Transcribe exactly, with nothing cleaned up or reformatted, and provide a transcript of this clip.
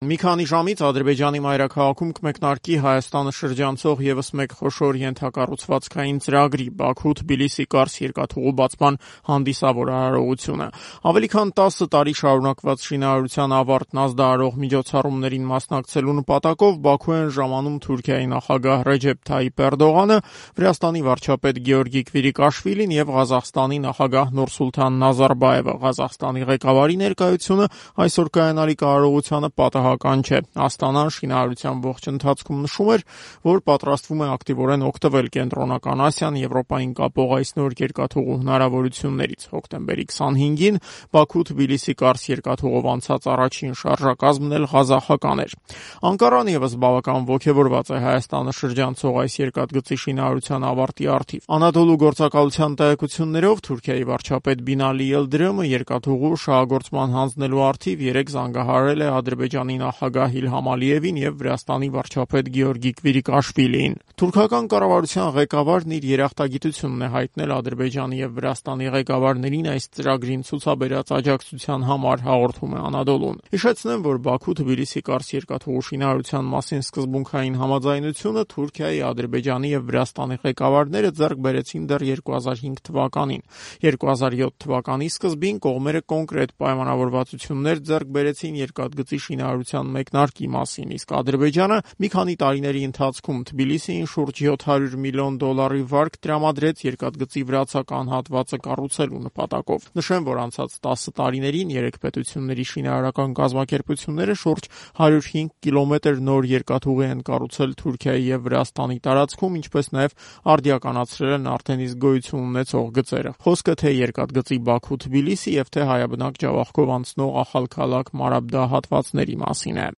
Մի քանի ժամից Ադրբեջանի մայրաքաղաքում կմեկնարկի Հայաստանը շրջանցող ևս մեկ խոշոր ենթակառուցվածքային ծրագրի Բաքու-Թբիլիսի-Կարս երկաթուղու բացման հանդիսավոր արարողությունը։ Ավելի քան տասը տարի շարունակված շինարարության ավարտն ազդարարող միջոցառումներին մասնակցելու նպատակով Բաքու են ժամանում Թուրքիայի նախագահ Ռեջեփ Թայիփ Էրդողանը, Վրաստանի վարչապետ Գեորգի Քվիրիկաշվիլին եւ Ղազախստանի նախագահ Նուրսուլթան Նազարբաևը։ Ղազախստանի ղեկավարի ներկայությունը այսօր կայանալիք արարողությանը պատահ չէ։ Աստանան շինարարության ողջ ընթացքում նշում էր, որ պատրաստվում է ակտիվորեն օգտվել Կենտրոնական Ասիան Եվրոպային կապող այս նոր երկաթուղու հնարավորություններից։ Հոկտեմբերի քսանհինգին Բաքու-Թբիլիսի-Կարս երկաթուղով անցած առաջին շարժակազմն էլ ղազախական էր։ Անկարան ևս բավական ոգևորված է Հայաստանը շրջանցող այս երկաթգծի շինարարության ավարտի առթիվ։ Անադոլու գործակալության տեղեկություններով Թուրքիայի վարչապետ Բինալի Ելդրեմը երկաթուղու շահագործման հանձնելու առթիվ երեկ զանգահարել է Ադրբեջանի նախագահ Իլհամ Ալիևին եւ Վրաստանի վարչապետ Գեորգի Քվիրիկաշվիլիին։ Թուրքական կառավարության ղեկավարն իր երախտագիտությունն է հայտնել Ադրբեջանի եւ Վրաստանի ղեկավարներին այս ծրագրին ցուցաբերած աջակցության համար, հաղորդում է Անադոլուն։ Հիշեցնեմ, որ Բաքու-Թբիլիսի-Կարս երկաթուղու շինարարության մասին սկզբունքային համաձայնությունը Թուրքիայի, Ադրբեջանի եւ Վրաստանի ղեկավարները ձեռք բերեցին դեռ երկու հազար հինգ թվականին։ երկու հազար յոթ թվականի սկզբին կողմերը կոնկրետ պայմանավորվածություններ ձեռք բերեցին երկաթգծի շինարարության մեկնարկի մասին, իսկ Ադրբեջանը մի քանի տարիների ընթացքում Թբիլիսիին շուրջ յոթ հարյուր միլիոն դոլարի վարկ տրամադրեց երկաթգծի վրացական հատվածը կառուցելու նպատակով։ Նշեմ, որ անցած տասը տարիներին երեք պետությունների շինարարական կազմակերպությունները շուրջ հարյուր հինգ կիլոմետր նոր երկաթուղի են կառուցել Թուրքիայի եւ Վրաստանի տարածքում, ինչպես նաեւ արդիականացրել են արդեն իսկ գոյություն ունեցող գծերը։ Խոսքը թե երկաթգծի Բաքու-Թբիլիսի եւ թե հայաբնակ Ջավախքով անցնող Ախալքալաք Մարաբդա հատվածների մասին է։